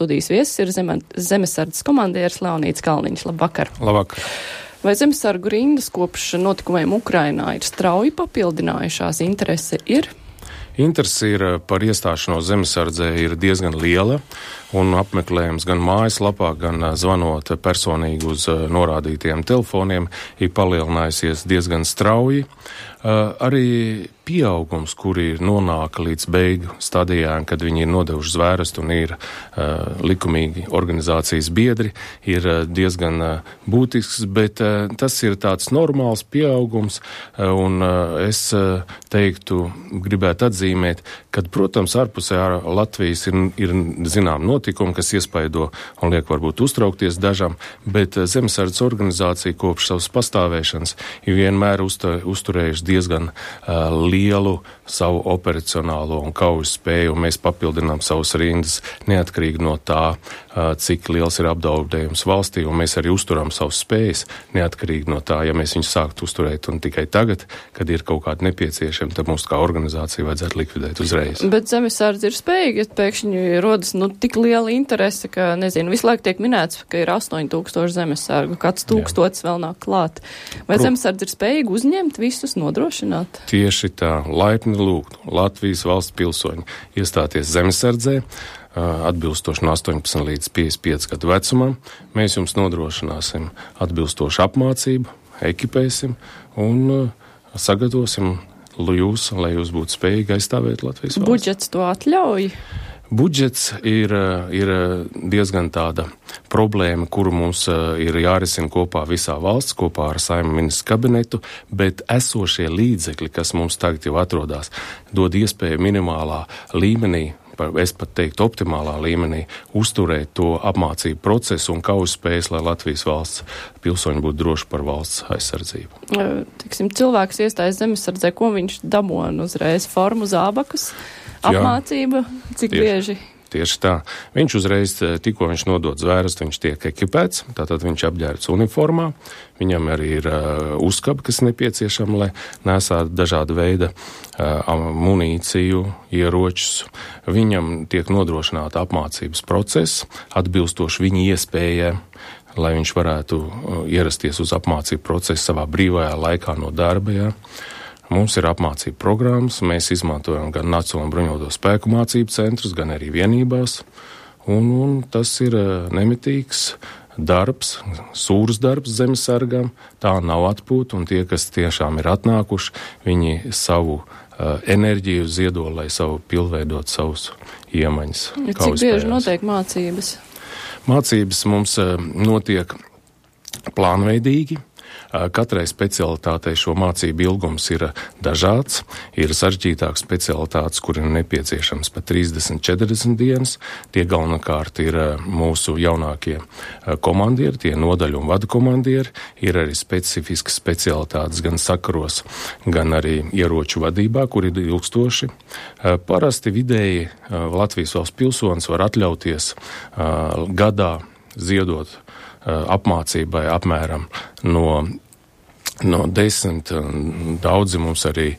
studijas viesis ir zemesardzes komandieris Leonīds Kalniņš. Labvakar! Labvakar! Vai zemesargu rindas kopš notikumiem Ukrainā ir strauji papildinājušās? Interese ir? Interese ir par iestāšanos zemesardzē ir diezgan liela, un apmeklējums gan mājaslapā, gan zvanot personīgi uz norādītiem telefoniem ir palielinājusies diezgan strauji. Arī pieaugums, kuri nonāka līdz beigu stadijām, kad viņi ir nodevuši zvērestu un ir likumīgi organizācijas biedri, ir diezgan būtisks, bet tas ir tāds normāls pieaugums, un es teiktu, gribētu atzīmēt, kad, protams, ārpusē Latvijas ir zinām notikumi, kas iespaido un liek varbūt uztraukties dažam, bet zemesardzes organizācija kopš savas pastāvēšanas ir vienmēr uzturējuši diezgan lielu savu operacionālo un kaujas spēju, un mēs papildinām savus rindas neatkarīgi no tā, cik liels ir apdraudējums valstī, un mēs arī uzturam savus spējas neatkarīgi no tā, ja mēs viņus sāktu uzturēt, un tikai tagad, kad ir kaut kādi nepieciešami, tad mums kā organizācija vajadzētu likvidēt uzreiz. Bet zemesardze ir spējīga, ja pēkšņi rodas tik liela interese, ka, visu laiku tiek minēts, ka ir 8000 zemesargu, kāds 1000 vēl nāk klāt. Vai zemesardze ir spējīga uzņemt visus, nodrošināt? Tieši tā, laipni lūgt Latvijas valsts pilsoņi iestāties zemesardzē, atbilstoši no 18 līdz 55 gadu vecumam. Mēs jums nodrošināsim atbilstošu apmācību, ekipēsim un sagatavosim jūs, lai jūs būtu spējīgi aizstāvēt Latvijas valsts. Budžets to atļauj? Budžets ir diezgan tāda problēma, kuru mums ir jārisina kopā visā valsts, kopā ar Saeimas ministru kabinetu, bet esošie līdzekļi, kas mums tagad jau atrodas, dod iespēju minimālā līmenī, es pat teiktu optimālā līmenī, uzturēt to apmācību procesu un kaujas spējas, lai Latvijas valsts pilsoņi būtu droši par valsts aizsardzību. Cilvēks iestājas zemesardzē, ko viņš dabūna uzreiz? Formu, zābakus, apmācība, cik bieži? Tieši tā. Viņš uzreiz, tikko viņš nodod zvērestu, viņš tiek ekipēts, tātad viņš apģērbts uniformā, viņam arī ir uzkabi, kas nepieciešama, lai nesātu dažādu veidu munīciju, ieročus. Viņam tiek nodrošināta apmācības process, atbilstoši viņa iespējai, lai viņš varētu ierasties uz apmācību procesu savā brīvajā laikā no darba. Ja. Mums ir apmācība programmas, mēs izmantojam gan Nacionālo bruņoto spēku mācību centrus, gan arī vienībās, un tas ir nemitīgs darbs, sūrs darbs zemesargam, tā nav atpūta, un tie, kas tiešām ir atnākuši, viņi savu enerģiju ziedo, lai pilnveidot savus iemaņas. Cik bieži notiek mācības? Mācības mums notiek plānveidīgi. Katrai specialitātei šo mācību ilgums ir dažāds. Ir sarežģītāks specialitātes, kur ir nepieciešams pat 30-40 dienas. Tie galvenokārt ir mūsu jaunākie komandieri, tie nodaļu un vadu komandieri. Ir arī specifiskas specialitātes gan sakaros, gan arī ieroču vadībā, kur ir ilgstoši. Parasti vidēji Latvijas valsts pilsonis var atļauties gadā ziedot apmācībai apmēram no 10, daudzi mums arī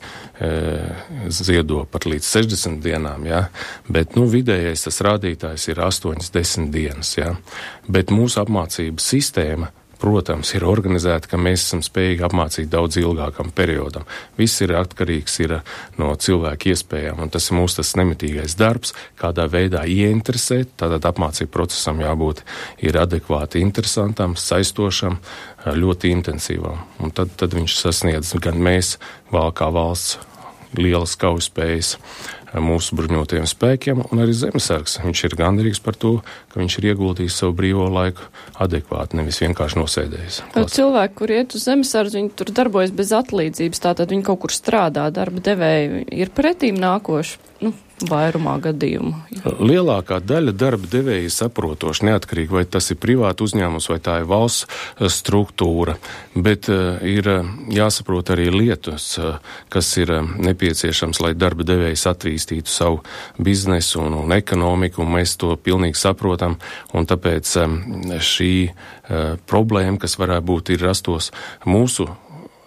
ziedo pat līdz 60 dienām, ja? Bet vidējais tas rādītājs ir 8-10 dienas. Ja? Bet mūsu apmācības sistēma, protams, ir organizēta, ka mēs esam spējīgi apmācīt daudz ilgākam periodam. Viss ir atkarīgs no cilvēka iespējām, un tas ir mūsu tas nemitīgais darbs, kādā veidā ieinteresēt, tātad apmācību procesam jābūt ir adekvāti interesantam, saistošam, ļoti intensīvam. Un tad viņš sasniedz gan mēs, vēl kā valsts, lielas kaujas spējas mūsu bruņotajiem spēkiem, un arī zemesargs. Viņš ir gandarīgs par to, ka viņš ir ieguldījis savu brīvo laiku adekvāti, nevis vienkārši nosēdējis. Cilvēki, kur iet uz zemesardzi, viņi tur darbojas bez atlīdzības, tātad viņi kaut kur strādā, darba devēji ir pretīm nākoši, vairumā gadījumu. Lielākā daļa darba devēja saprotoši, neatkarīgi, vai tas ir privāti uzņēmums, vai tā ir valsts struktūra, bet ir jāsaprot arī lietas, kas ir nepieciešams, lai darba devējs attīstītu savu biznesu un ekonomiku, un mēs to pilnīgi saprotam, un tāpēc šī problēma, kas varētu būt, ir rastos mūsu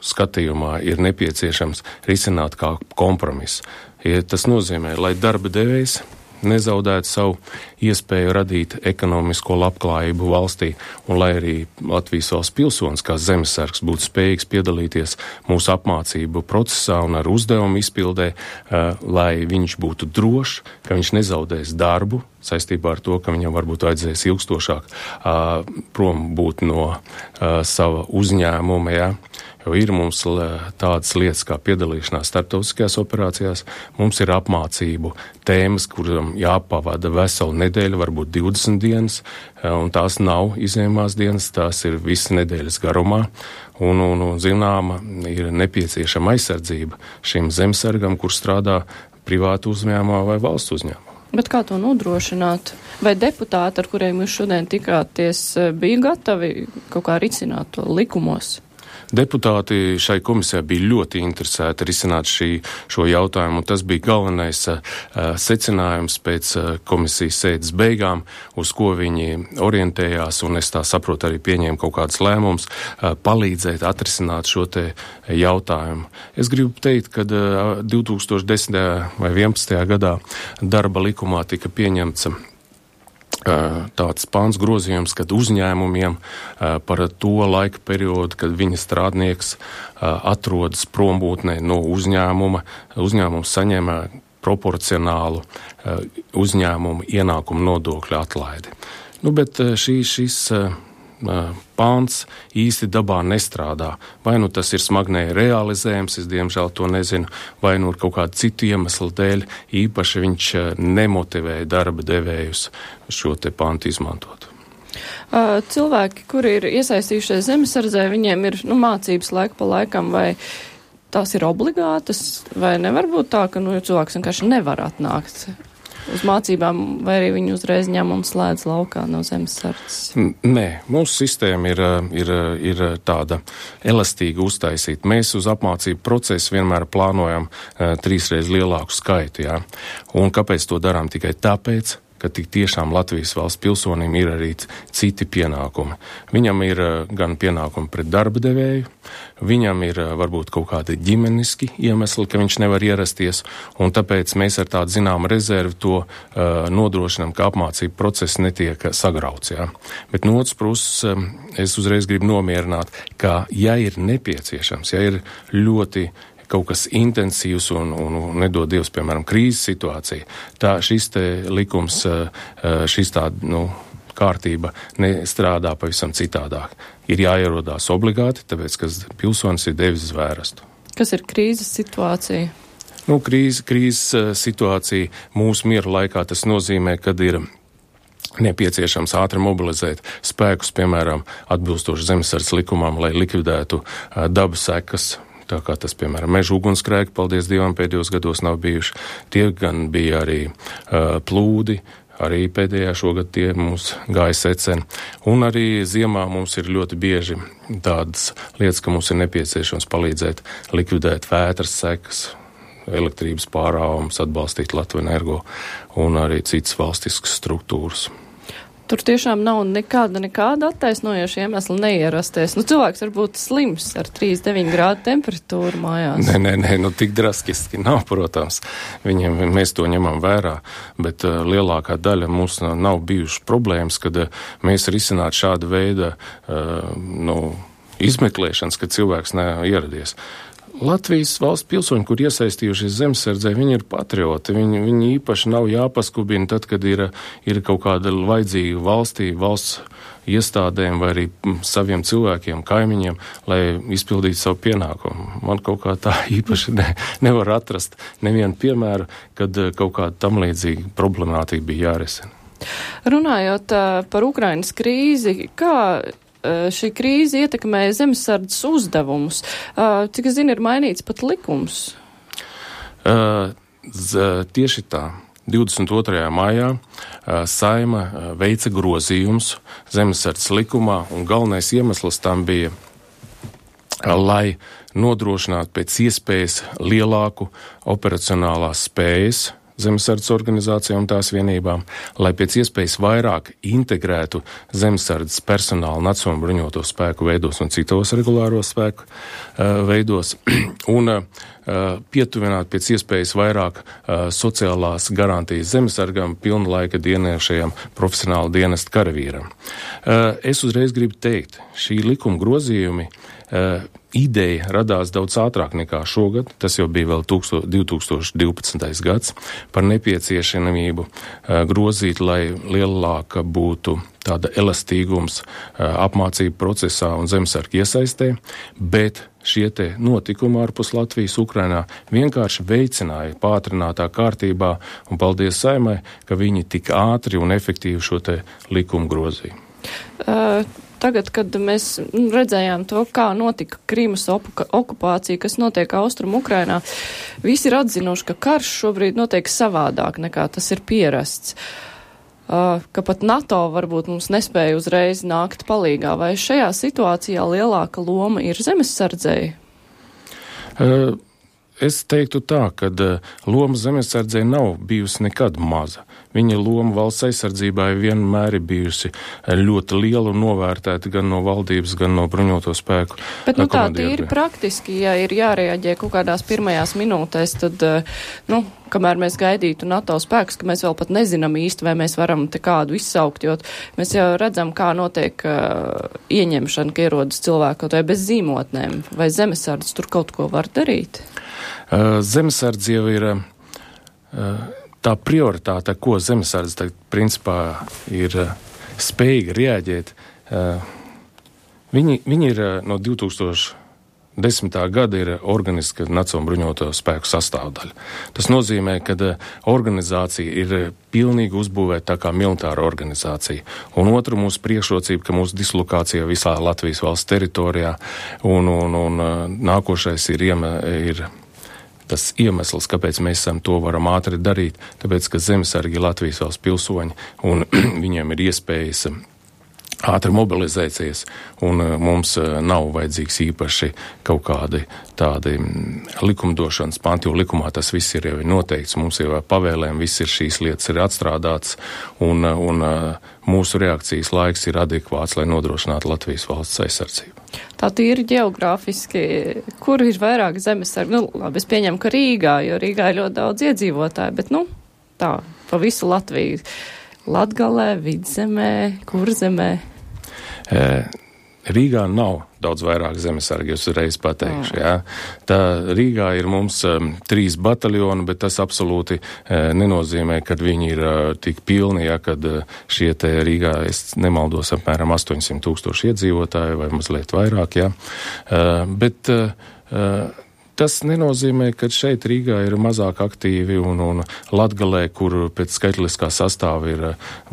skatījumā, ir nepieciešams risināt kā kompromiss. Ja tas nozīmē, lai darba devējs nezaudētu savu iespēju radīt ekonomisko labklājību valstī, un lai arī Latvijas valsts pilsonis kā zemesargs būtu spējīgs piedalīties mūsu apmācību procesā un ar uzdevumu izpildē, lai viņš būtu drošs, ka viņš nezaudēs darbu saistībā ar to, ka viņam varbūt vajadzēs ilgstošāk prom būt no sava uzņēmuma, ja? Jo ir mums tādas lietas kā piedalīšanās starptautiskajās operācijās, mums ir apmācību tēmas, kuram jāpavada veselu nedēļu, varbūt 20 dienas, un tās nav izņēmās dienas, tās ir visas nedēļas garumā, un zināma ir nepieciešama aizsardzība šim zemesargam, kur strādā privātu uzņēmumā vai valsts uzņēmumā. Bet kā to nodrošināt? Vai deputāti, ar kuriem jūs šodien tikāties, bija gatavi kaut kā risināt to likumos? Deputāti šai komisijai bija ļoti interesēti risināt šo jautājumu, un tas bija galvenais secinājums pēc komisijas sēdes beigām, uz ko viņi orientējās, un es tā saprotu arī pieņēma kaut kādas lēmumus, palīdzēt atrisināt šo te jautājumu. Es gribu teikt, ka 2010. vai 2011. gadā darba likumā tika pieņemts tāds pāns grozījums, kad uzņēmumiem par to laika periodu, kad viņa strādnieks atrodas prombūtnē no uzņēmums saņēma proporcionālu uzņēmumu ienākumu nodokļu atlaidi. Bet šis pāns īsti dabā nestrādā. Vai nu tas ir smagnēji realizējams, es diemžēl to nezinu, vai nu kaut kādu citu iemeslu dēļ īpaši viņš nemotivēja darba devējus šo te pāntu izmantot. Cilvēki, kuri ir iesaistījušies zemesardzē, viņiem ir mācības laika pa laikam, vai tās ir obligātas, vai nevar būt tā, ka cilvēks vienkārši nevar atnākt uz mācībām, vai arī viņi uzreiz ņem un slēdz laukā no zemesardzes? Nē, mūsu sistēma ir tāda elastīga uztaisīta. Mēs uz apmācību procesu vienmēr plānojam 3 reizes lielāku skaitu, jā. Un kāpēc to darām? Tikai tāpēc, ka tik tiešām Latvijas valsts pilsonim ir arī citi pienākumi. Viņam ir gan pienākumi pret darba devēju, viņam ir varbūt kaut kādi ģimeniski iemesli, ka viņš nevar ierasties, un tāpēc mēs ar tādu zināmu rezervi to nodrošinām, ka apmācību process netiek sagrauts. Jā. Bet no otras puses, es uzreiz gribu nomierināt, ka ja ir nepieciešams, ja ir ļoti kaut kas intensīvs un nedod Dievs, piemēram, krīzes situācija, tā šis te likums, šis tāda, kārtība nestrādā pavisam citādāk. Ir jāierodās obligāti, tāpēc, ka pilsonis ir devis zvērestu. Kas ir krīzes situācija? Krīzes situācija mūsu miera laikā tas nozīmē, kad ir nepieciešams ātri mobilizēt spēkus, piemēram, atbilstoši zemesardzes likumam, lai likvidētu dabas sekas. Tā kā tas, piemēram, meža ugunsgrēki, paldies Dievam, pēdējos gados nav bijuši. Tie gan bija arī plūdi, arī pēdējā šogad tie mums gāja seceni. Un arī ziemā mums ir ļoti bieži tādas lietas, ka mums ir nepieciešams palīdzēt likvidēt vētras sekas, elektrības pārāvums, atbalstīt Latviju Energo un arī citas valstiskas struktūras. Tur tiešām nav nekāda attaisnojoša iemesla neierasties. Cilvēks var būt slims ar 39 grādu temperatūru mājās. Nē, tik drastiski nav, protams. Mēs to ņemam vērā, bet lielākā daļa mums nav bijušas problēmas, kad mēs risinātu šādu veidu izmeklēšanas, kad cilvēks neieradies. Latvijas valsts pilsoņi, kur iesaistījušies zemesardzē, viņi ir patrioti. Viņi īpaši nav jāpaskubina tad, kad ir kaut kāda vajadzīga valsts iestādēm vai arī saviem cilvēkiem, kaimiņiem, lai izpildītu savu pienākumu. Man kaut kā tā īpaši nevar atrast nevienu piemēru, kad kaut kāda tam līdzīga problemātika bija jārisina. Runājot par Ukrainas krīzi, kā šī krīze ietekmēja zemesardzes uzdevumus? Cik es zinu, ir mainīts pat likums? Tieši tā. 22. maijā Saeima veica grozījums zemesardzes likumā, un galvenais iemesls tam bija, lai nodrošinātu pēc iespējas lielāku operacionālās spējas zemesardzes organizācijām un tās vienībām, lai pēc iespējas vairāk integrētu zemesardzes personālu Nacionālo bruņoto spēku veidos un citos regulāro spēku veidos, un pietuvināt pēc iespējas vairāk sociālās garantijas zemesargam, pilnlaika dienēšajam profesionāla dienesta karavīram. Es uzreiz gribu teikt, šī likuma grozījumi ideja radās daudz ātrāk nekā šogad, tas jau bija vēl 2012. gads, par nepieciešamību grozīt, lai lielāka būtu tāda elastīgums apmācību procesā un zemesargu iesaistē, bet šie te notikumi ārpus Latvijas, Ukrainā vienkārši veicināja pātrinātā kārtībā, un paldies Saeimai, ka viņi tik ātri un efektīvi šo te likumu grozīja. Tagad, kad mēs redzējām to, kā notika Krimas okupācija, kas notiek Austrum Ukrainā, visi ir atzinuši, ka karš šobrīd notiek savādāk nekā tas ir pierasts. Ka pat NATO varbūt mums nespēja uzreiz nākt palīgā. Vai šajā situācijā lielāka loma ir zemesardzei? Es teiktu tā, ka loma zemesardzei nav bijusi nekad maza. Viņa loma valsts aizsardzībā vienmēr ir bijusi ļoti liela un novērtēta gan no valdības, gan no bruņoto spēku. Bet tā tīri praktiski, ja ir jārēģē kaut kādās pirmajās minūtēs, tad, kamēr mēs gaidītu NATO spēkus, ka mēs vēl pat nezinām īsti, vai mēs varam te kādu izsaukt, jo mēs jau redzam, kā notiek ieņemšana, ka ierodas cilvēku kaut vai bez zīmotnēm, vai zemesardze tur kaut ko var darīt? Zemesardze jau ir tā prioritāte, ko zemesardze principā ir spējīga reaģēt. Viņi ir no 2010. gada ir organiska Nacionālo bruņoto spēku sastāvdaļa. Tas nozīmē, ka organizācija ir pilnīgi uzbūvēta tā kā militāra organizācija. Un otru mūsu priekšrocība, ka mūsu dislokācija visā Latvijas valsts teritorijā un nākošais ir tas iemesls, kāpēc mēs to varam ātri darīt, tāpēc, ka zemesargi ir Latvijas valsts pilsoņi un viņiem ir iespējas ātri mobilizēties, un mums nav vajadzīgs īpaši kaut kādi tādi likumdošanas panti, jo likumā tas viss ir jau noteikts, mums jau pavēlēm viss ir šīs lietas ir atstrādāts, un mūsu reakcijas laiks ir adekvāts, lai nodrošinātu Latvijas valsts aizsardzību. Tā tīri ģeogrāfiski, kur ir vairāk zemesargi? Labi, es pieņemu, ka Rīgā, jo Rīgā ir ļoti daudz iedzīvotāju, bet, tā, pa visu Latviju. Latgalē, Vidzemē, Kurzemē? Rīgā nav daudz vairāk zemesargi, es uzreiz pateikšu. Jā. Tā Rīgā ir mums 3 bataljoni, bet tas absolūti nenozīmē, ka viņi ir tik pilni, ja, kad šie te Rīgā, es nemaldos, apmēram 800,000 iedzīvotāji vai mazliet vairāk, jā. Bet tas nenozīmē, ka šeit Rīgā ir mazāk aktīvi un Latgalē, kur pēc skaitliskā sastāva ir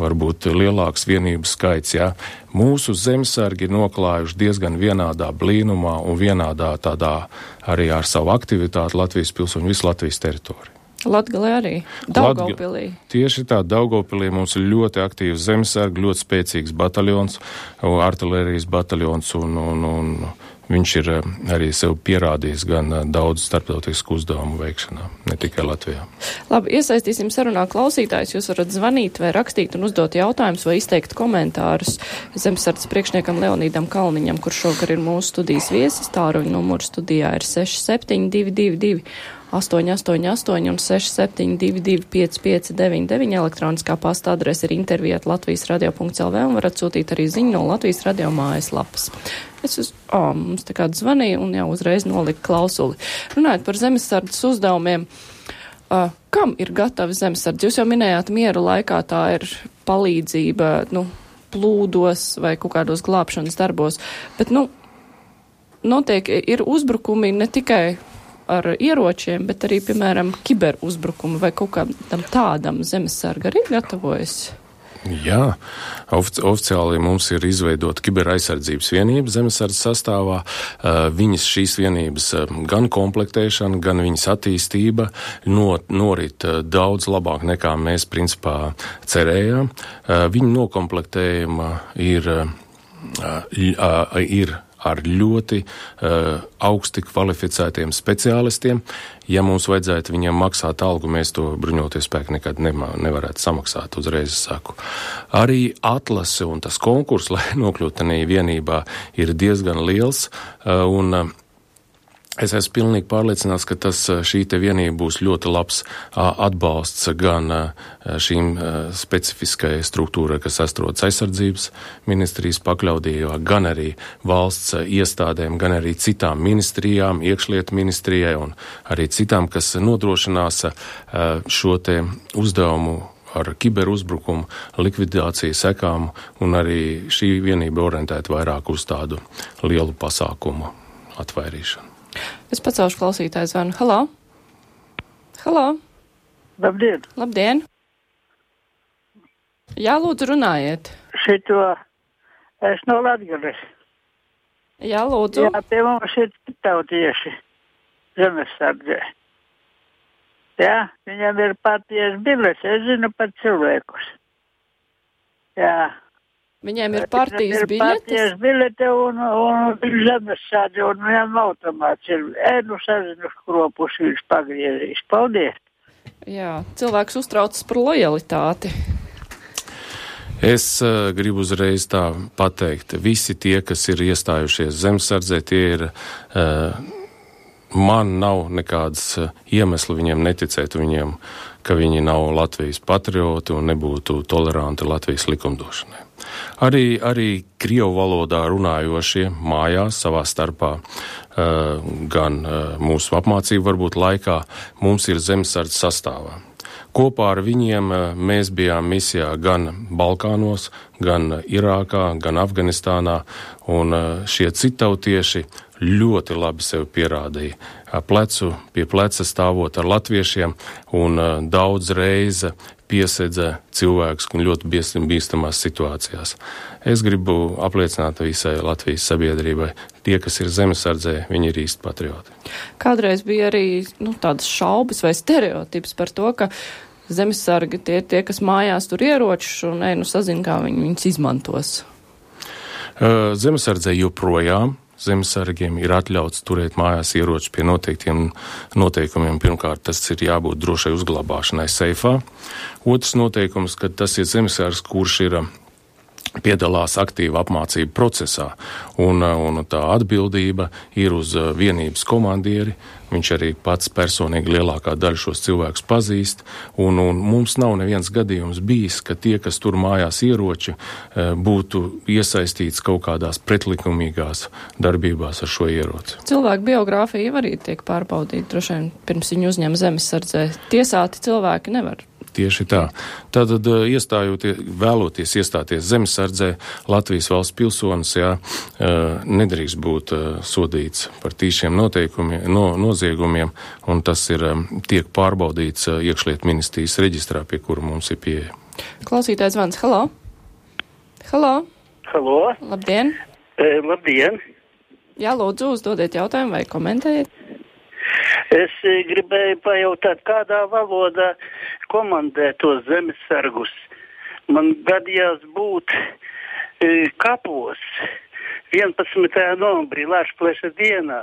varbūt lielāks vienību skaits, jā. Mūsu zemesargi ir noklājuši diezgan vienādā blīnumā un vienādā tādā arī ar savu aktivitāti Latvijas pilsoņu visu Latvijas teritoriju. Latgalē arī? Daugavpilī? Tieši tā, Daugavpilī mums ir ļoti aktīvs zemesargi, ļoti spēcīgs bataljons, artilērijas bataljons un viņš ir arī sev pierādījis gan daudz starptautisku uzdevumu veikšanā, ne tikai Latvijā. Labi, iesaistīsim sarunā klausītājus. Jūs varat zvanīt vai rakstīt un uzdot jautājumus vai izteikt komentārus zemesardzes priekšniekam Leonīdam Kalniņam, kurš šogad ir mūsu studijas viesis. Tāruņa numurs studijā ir 6722 888 un 6722 559, elektroniskā pasta adrese ir intervija@latvijasradio.lv un varat sūtīt arī ziņu no Latvijas radio mājaslapas. Mums te kāds zvanīja un jau uzreiz nolika klausuli. Runājot par zemesardzes uzdevumiem, kam ir gatava zemesardze? Jūs jau minējāt, miera laikā tā ir palīdzība, plūdos vai kaut kādos glābšanas darbos, bet, ir uzbrukumi ne tikai ar ieročiem, bet arī, piemēram, kiberuzbrukumi vai kaut kādam tādam zemesarga arī gatavojas? Jā, oficiāli mums ir izveidota kiberaizsardzības vienība zemesardzes sastāvā. Šīs vienības gan komplektēšana, gan viņas attīstība norit daudz labāk nekā mēs principā cerējām. Viņu nokomplektējuma ir ar ļoti augsti kvalificētiem speciālistiem. Ja mums vajadzētu viņiem maksāt algu, mēs to bruņoties spēki nekad nevarētu samaksāt, uzreiz saku. Arī atlase un tas konkurss, lai nokļūtu tajā vienībā, ir diezgan liels, un es esmu pilnīgi pārliecināts, ka šī te vienība būs ļoti labs atbalsts gan šīm specifiskajai struktūrai, kas atrodas aizsardzības ministrijas pakļautībā, gan arī valsts iestādēm, gan arī citām ministrijām, iekšlietu ministrijai un arī citām, kas nodrošinās šo te uzdevumu ar kiberuzbrukumu, likvidāciju sekām, un arī šī vienība orientēta vairāk uz tādu lielu pasākumu atvairīšanu. Es pacelšu klausītāju zvanu. Halo? Halo? Labdien! Labdien! Jā, lūdzu, runājiet. Šito es no Latgales. Jā, lūdzu. Jā, pie mums ir tautieši zemesardzē. Jā, viņam ir partijas biļete, es zinu pat cilvēkus. Jā. Viņiem ir partijas biļetes? Partijas biļete un zemesardze, un viņam automāts ir. Nu sazinu skropus viņš pagriezīs. Paldies! Jā, cilvēks uztraucas par lojalitāti. Es gribu uzreiz tā pateikt, visi tie, kas ir iestājušies zemesardzē, tie ir, man nav nekādas iemesli viņiem neticēt viņiem, ka viņi nav Latvijas patrioti un nebūtu toleranti Latvijas likumdošanai. Arī krievu valodā runājošie mājās savā starpā, gan mūsu apmācību varbūt laikā, mums ir zemesardze sastāvā. Kopā ar viņiem mēs bijām misijā gan Balkānos, gan Irākā, gan Afganistānā, un šie citautieši ļoti labi sevi pierādīja. Plecu pie pleca stāvot ar latviešiem, un daudz reize piesedza cilvēkus ļoti bīstamās situācijās. Es gribu apliecināt visai Latvijas sabiedrībai, tie, kas ir zemesardzē, viņi ir īsti patrioti. Kādreiz bija arī tādas šaubas vai stereotips par to, ka zemesargi tie, kas mājās tur ieročus un sazina, kā viņus izmantos. Zemesardzē joprojām zemesargiem ir atļauts turēt mājās ieročus pie noteiktiem noteikumiem. Pirmkārt, tas ir jābūt drošai uzglabāšanai seifā. Otrs noteikums, ka tas ir zemesargs, kurš ir piedalās aktīva apmācību procesā, un tā atbildība ir uz vienības komandieri. Viņš arī pats personīgi lielākā daļa šos cilvēkus pazīst, un mums nav neviens gadījums bijis, ka tie, kas tur mājās ieroči, būtu iesaistīts kaut kādās pretlikumīgās darbībās ar šo ieroci. Cilvēku biogrāfija arī tiek pārbaudīta, droši vien pirms viņu uzņem zemesardzē. Tiesāti cilvēki nevar. Tieši tā. Tātad vēloties iestāties zemesardzē, Latvijas valsts pilsonis, nedrīkst būt sodīts par tīšiem noziegumiem, un tas tiek pārbaudīts iekšlietu ministrijas reģistrā, pie kura mums ir pieeja. Klausītājs zvans. Halo? Halo? Halo? Labdien! Labdien! Jā, lūdzu, uzdodiet jautājumu vai komentējiet. Es gribēju pajautāt, kādā valodā komandē tos zemesargus. Man gadījās būt kapos 11. novembrī Lāčpleša dienā.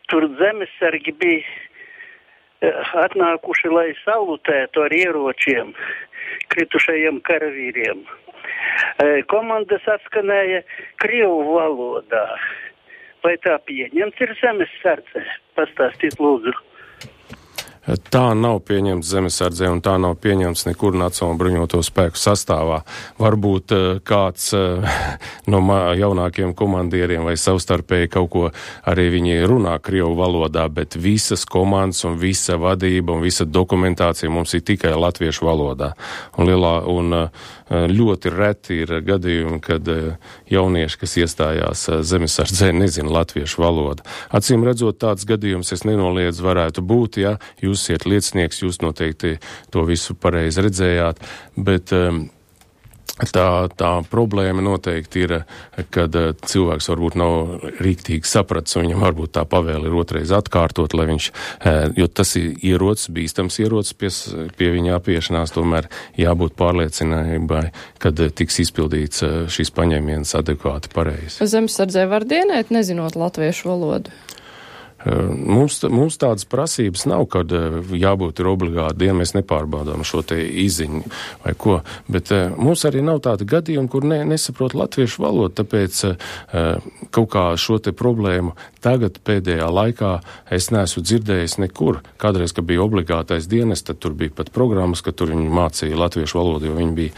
Tur zemesargi bija atnākuši, lai salutētu ar ieročiem kritušajiem karavīriem. Komandas atskanēja krievu valodā. Vai tā pieņemts ir zemesardzē? Pastāstīt, lūdzu. Tā nav pieņemts zemesardzē, un tā nav pieņemts nekur Nacionālo bruņoto spēku sastāvā. Varbūt kāds no jaunākiem komandieriem vai savstarpēji kaut ko arī viņi runā krievu valodā, bet visas komandas un visa vadība un visa dokumentācija mums ir tikai latviešu valodā. Un ļoti reti ir gadījumi, kad jaunieši, kas iestājās zemesardzē, nezina latviešu valodu. Acīm redzot, tāds gadījums es nenoliedzu varētu būt, ja jūs esat liecinieks, jūs noteikti to visu pareizi redzējāt, bet Tā problēma noteikti ir, kad cilvēks varbūt nav rīktīgi sapratis, un viņam varbūt tā pavēle ir otrais atkārtot, lai viņš, jo tas ir ierocis, bīstams ierocis pie viņa apiešanās, tomēr jābūt pārliecinājumai, kad tiks izpildīts šīs paņēmienas adekvāti pareizi. Zemesardzē var dienēt, nezinot latviešu valodu? Mums tādas prasības nav, kad jābūt ir obligāti diena, mēs nepārbaudām šo te izziņu vai ko, bet mums arī nav tāda gadījuma, kur nesaprot latviešu valodu, tāpēc kaut kā šo te problēmu tagad pēdējā laikā es neesmu dzirdējis nekur. Kādreiz, kad bija obligātais dienas, tad tur bija pat programmas, ka tur viņi mācīja latviešu valodu, jo viņi bija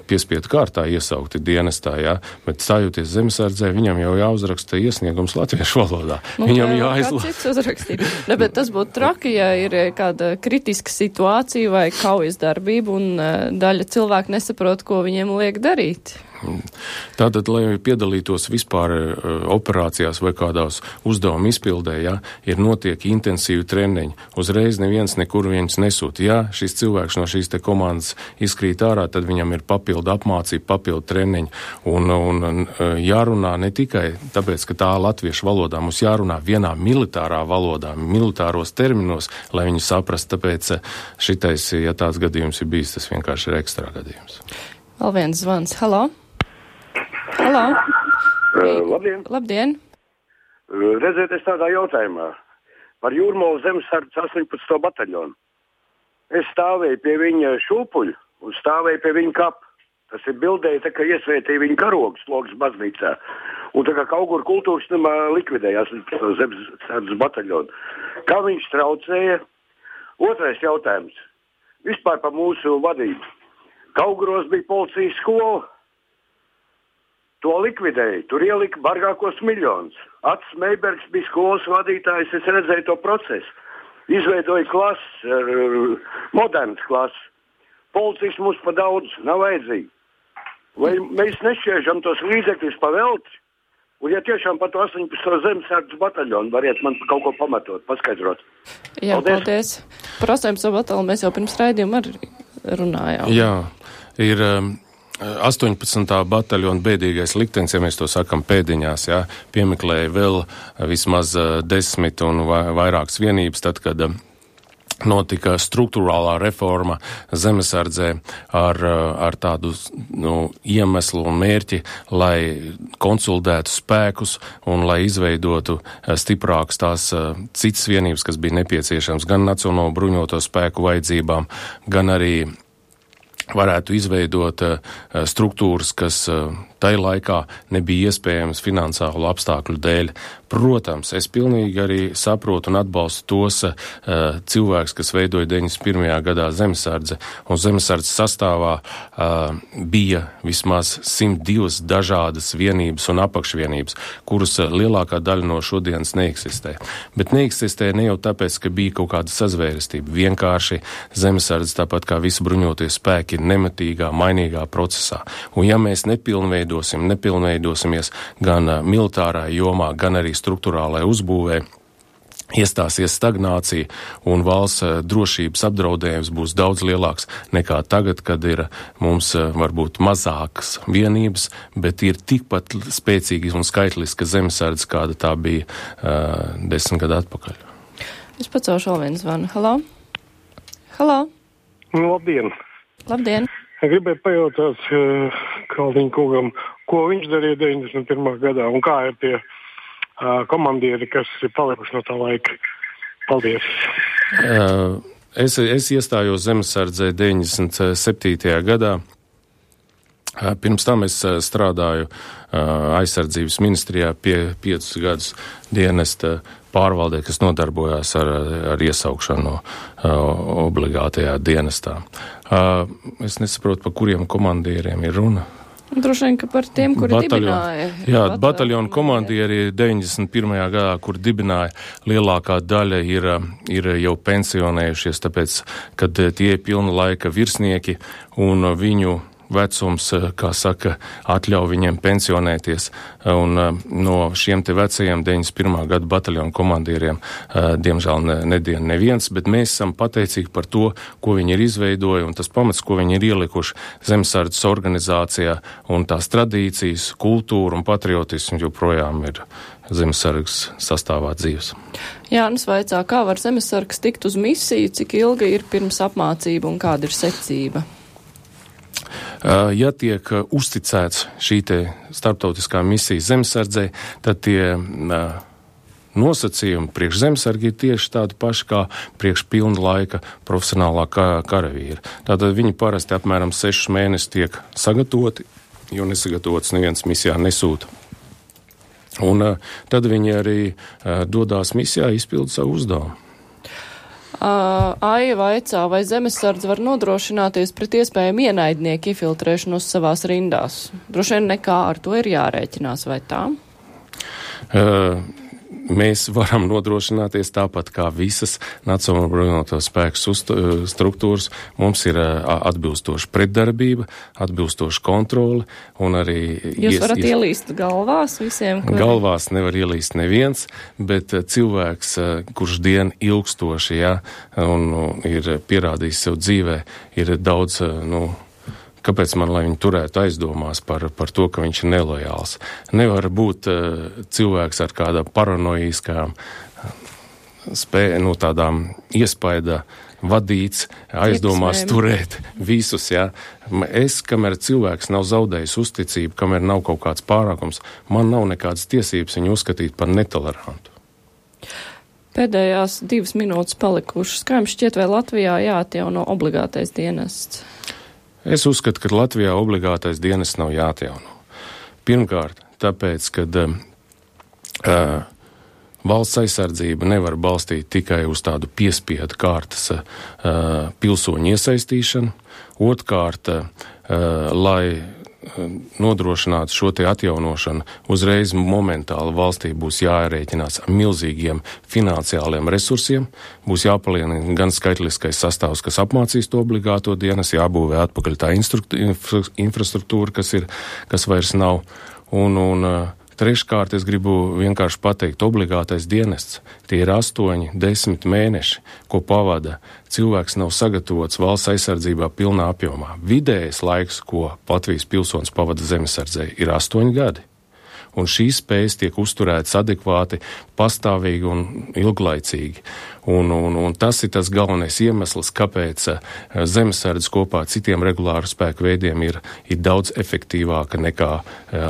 piespiedu kārtā iesaukti dienestā, jā, bet stājoties zemesardzē, viņam jau jāuzraksta iesniegums latviešu valodā. Viņam Cits uzrakstīt. Ne, bet tas būtu traki, ja ir kāda kritiska situācija vai kaujas darbība un daļa cilvēku nesaprot, ko viņiem liek darīt. Tātad, lai piedalītos vispār operācijās vai kādās uzdevuma izpildē, ja, ir notiek intensīvi treniņi. Uzreiz neviens nekur viens nesūta. Ja šis cilvēks no šīs te komandas izkrīt ārā, tad viņam ir papildu apmācība, papildu treniņi. Un jārunā ne tikai tāpēc, ka tā latviešu valodā, mums jārunā vienā militārā valodā, militāros terminos, lai viņi saprast. Tāpēc šitais, ja tāds gadījums ir bijis, tas vienkārši ir ekstra gadījums. Vēl viens zvans. Halo? Halo? Labdien! Labdien! Redziet, es tādā jautājumā par Jūrmalas zemesardzes 18. bataļonu. Es stāvēju pie viņa šūpuļu un stāvēju pie viņa kapa. Tas ir bildēja, tā kā iesvētīja viņa karogus logas baznīcā. Un tā kā Kauguru kultūras namā likvidēja 18. zemesardzes bataļonu. Kā viņš traucēja? Otrais jautājums. Vispār par mūsu vadību. Kauguros bija policijas skola. To likvidēja. Tur ielika bargākos miljonus. Ats Meibergs bija skolas vadītājs, es redzēju to procesu. Izveidoja klases, modernas klases. Policijas mums pa daudz nav vajadzīgi. Vai mēs nešķiežam tos līdzekļus pa velti? Un ja tiešām par to 18. zemesardzes bataļonu variet man kaut ko pamatot, paskaidrot. Jā, paldies. Par 18. bataļonu mēs jau pirms raidījuma arī runājām. Jā, ir 18. bataļona bēdīgais liktenis, ja mēs to sakam pēdiņās, jā, piemeklēja vēl vismaz 10 un vairākas vienības, tad, kad notika struktūrālā reforma zemesardzē ar tādu iemeslu un mērķi, lai konsolidētu spēkus un lai izveidotu stiprākas tās citas vienības, kas bija nepieciešams gan Nacionālo bruņoto spēku vajadzībām, gan arī varētu izveidot struktūras, kas tai laikā nebija iespējams finansiālu apstākļu dēļ. Protams, es pilnīgi arī saprotu un atbalstu tos cilvēkus, kas veidoja 91. gadā zemesardze, un zemesardzes sastāvā bija vismaz 102 dažādas vienības un apakšvienības, kuras lielākā daļa no šodienas neeksistē. Bet neeksistē ne jau tāpēc, ka bija kaut kāda sazvērestība. Vienkārši zemesardze, tāpat kā visi bruņotie spēki, ir nematīgā, mainīgā procesā. Un ja mēs nepilnveidosimies gan militārā jomā, gan arī struktūrālai uzbūvē, iestāsies stagnācija un valsts drošības apdraudējums būs daudz lielāks nekā tagad, kad ir mums varbūt mazākas vienības, bet ir tikpat spēcīgi un skaitliska zemesardze, kāda tā bija 10 gadu atpakaļ. Es pacelšu vēl vienu zvanu. Halo? Halo? Labdien! Labdien! Gribēju pajautāt Kalniņa kungam, ko viņš darīja 91. gadā un kā ir tie komandieri, kas ir palikuši no tā laika. Paldies! Es iestājos zemesardzē 97. gadā. Pirms tam es strādāju aizsardzības ministrijā pie 5 gadus dienesta pārvaldē, kas nodarbojās ar iesaukšanu obligātajā dienestā. Es nesaprotu, par kuriem komandieriem ir runa. Droši vien, ka par tiem, kuri dibināja. Jā, bataljonu komandieri 91. gadā, kur dibināja, lielākā daļa ir jau pensionējušies, tāpēc, kad tie ir pilna laika virsnieki un viņu vecums, kā saka, atļauj viņiem pensionēties, un no šiem te vecajiem 91. gada bataljonu komandieriem, diemžēl nedien neviens, bet mēs esam pateicīgi par to, ko viņi ir izveidojuši, un tas pamats, ko viņi ir ielikuši zemesardzes organizācijā, un tās tradīcijas, kultūra un patriotismu joprojām ir zemesargs sastāvā dzīves. Jānis vaicā, kā var zemesargs tikt uz misiju, cik ilga ir pirms apmācība un kāda ir secība? Ja tiek uzticēts šī te starptautiskā misija zemesardzei, tad tie nosacījumi priekš zemesargi ir tieši tādi paši kā priekš pilna laika profesionālā karavīra. Tātad viņi parasti apmēram 6 mēnešus tiek sagatavoti, jo nesagatavots neviens misijā nesūta. Un tad viņi arī dodās misijā izpildu savu uzdevumu. Aija vaicā, vai zemesardze var nodrošināties pret iespējamu ienaidnieku infiltrēšanos savās rindās? Droši vien nekā ar to ir jārēķinās, vai tā? Mēs varam nodrošināties tāpat kā visas Nacionālo bruņoto spēku struktūras. Mums ir atbilstoša pretdarbība, atbilstoša kontrole un arī... Jūs varat ielīst galvās visiem? Galvās nevar ielīst neviens, bet cilvēks, kurš dienu ilgstoši, un ir pierādījis sev dzīvē, ir daudz, kāpēc man, lai viņu turētu aizdomās par to, ka viņš ir nelojāls? Nevar būt cilvēks ar kāda paranoiskām tādām iespaida vadīts, aizdomās turēt visus, Es, kamēr cilvēks nav zaudējis uzticību, kamēr nav kaut kāds pārākums, man nav nekādas tiesības viņu uzskatīt par netolerantu. Pēdējās 2 minūtes palikušas. Kā jums šķiet, vai Latvijā jāatjauno obligātais dienests? Es uzskatu, ka Latvijā obligātais dienests nav jāatjauno. Pirmkārt, tāpēc, ka valsts aizsardzība nevar balstīt tikai uz tādu piespiedu kārtas pilsoņu iesaistīšanu. Otrkārt, lai nodrošinātu šo te atjaunošanu, uzreiz momentāli valstī būs jārēķinās ar milzīgiem finansiāliem resursiem, būs jāpalielina gan skaitliskais sastāvs, kas apmācīs to obligāto dienas, jābūvē atpakaļ tā infrastruktūra, kas vairs nav, un treškārt es gribu vienkārši pateikt, obligātais dienests, tie ir 8, 10 mēneši, ko pavada. Cilvēks nav sagatavots valsts aizsardzībā pilnā apjomā. Vidējais laiks, ko Latvijas pilsonis pavada zemesardzē, ir 8 gadi. Un šīs spējas tiek uzturētas adekvāti, pastāvīgi un ilglaicīgi. Un tas ir tas galvenais iemesls, kāpēc zemesardze kopā ar citiem regulāru spēku veidiem ir daudz efektīvāka nekā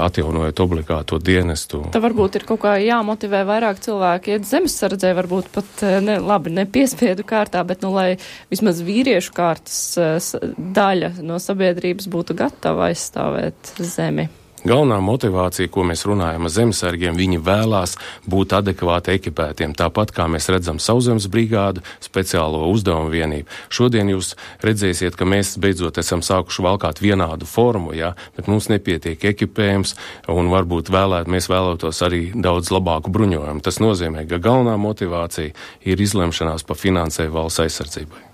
atjaunojot obligāto dienestu. Tā varbūt ir kaut kā jāmotivē vairāk cilvēki iet zemesardzē, varbūt pat ne piespiedu kārtā, bet lai vismaz vīriešu kārtas daļa no sabiedrības būtu gatava aizstāvēt zemi. Galvenā motivācija, ko mēs runājam ar zemesargiem, viņi vēlās būt adekvāti ekipētiem, tāpat kā mēs redzam Sauszemes brigādu, speciālo uzdevumu vienību. Šodien jūs redzēsiet, ka mēs beidzot esam sākuši valkāt vienādu formu, bet mums nepietiek ekipējums, un varbūt mēs vēlētos arī daudz labāku bruņojumu. Tas nozīmē, ka galvenā motivācija ir izlemšanās par finansēju valsts aizsardzībai.